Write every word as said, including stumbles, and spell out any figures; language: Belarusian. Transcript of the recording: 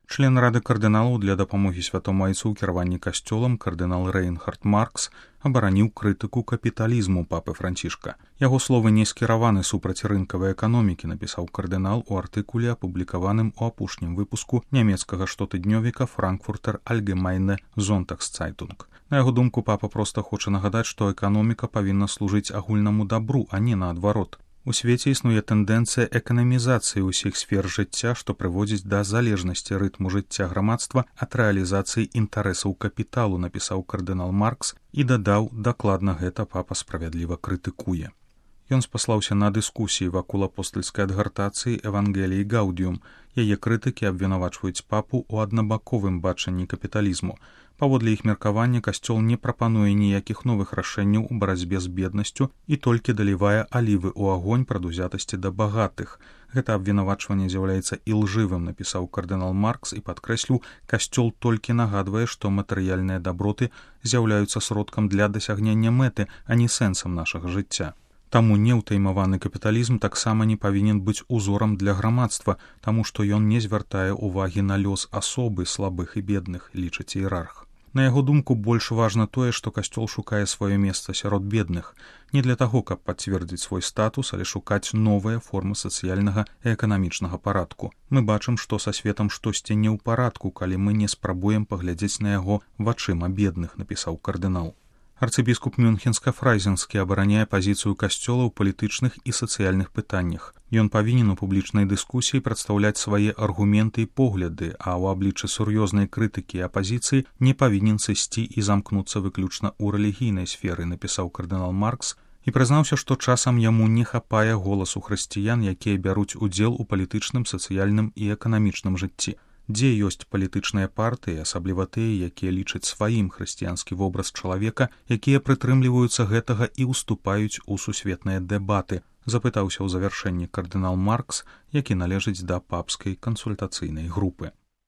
Член Рады кардыналаў для дапамогі святому айцу ў кіраванні касцёлам кардынал Рейнхард Маркс абараніў крытыку капіталізму папы Францішка. Яго словы не скіраваны супраць рынкавай эканомікі, напісаў кардынал у артыкуле, апублікаваным у апошнім выпуску нямецкага штотыднёвіка Frankfurter Allgemeine Sonntagszeitung. На яго думку, папа проста хоча нагадаць, што эканоміка павінна служыць агульнаму дабру, а не наадварот. У свеце існуе тэндэнцыя эканамізацыі ўсіх сфер жыцця, што прыводзіць да залежнасці рытму жыцця грамадства ад рэалізацыі інтарэсаў капіталу, напісаў кардынал Маркс і дадаў, дакладна гэта папа справядліва крытыкуе. Ён спаслаўся на дыскусіі вакол апостальскай адгартацыі Евангеліі Гаудіум. Яе крытыкі абвінавачваюць папу ў аднабаковым бачанні капіталізму. Паводле іх меркавання, касцёл не прапануе ніякіх новых рашэнняў у барацьбе з беднасцю і толькі далівае алівы ў агонь прадузятасці да багатых. Гэта абвінавачванне з'яўляецца ілжывым, напісаў кардынал Маркс і падкрэсліў, касцёл толькі нагадвае, што матэрыяльныя даброты з'яўляюцца сродкам для дасягнення мэты, а не сэнсам нашага жыцця. Таму неўтаймаваны капіталізм таксама не павінен быць узорам для грамадства, таму што ён не звяртае ўвагі на лёс асобы слабых і бедных, лічыць іерарх. На яго думку, больш важна тое, што касцёл шукае сваё месца сярод бедных, не для таго, каб пацвердзіць свой статус, але шукаць новыя формы сацыяльнага і эканамічнага парадку. Мы бачым, што са светам штосьці не ў парадку, калі мы не спрабуем паглядзець на яго вачыма бедных, напісаў кардынал. Арцыбіскуп Мюнхенска-Фрайзенскі абараняе пазіцыю касцёла ў палітычных і сацыяльных пытаннях. Ён павінен у публічнай дыскусіі прадстаўляць свае аргументы і погляды, а ў абліччы сур'ёзнай крытыкі і апазіцыі не павінен сысці і замкнуцца выключна ў рэлігійнай сферы, напісаў кардынал Маркс і прызнаўся, што часам яму не хапае голасу хрысціян, якія бяруць удзел у палітычным, сацыяльным і эканамічным жыцці. Дзе ёсць палітычныя партыі, асабліва тыя, якія лічаць сваім хрысціянскі вобраз чалавека, якія прытрымліваюцца гэтага і ўступаюць у сусветныя дэбаты, запытаўся ў завяршэнні кардынал Маркс, які належыць да папскай кансультацыйнай групы.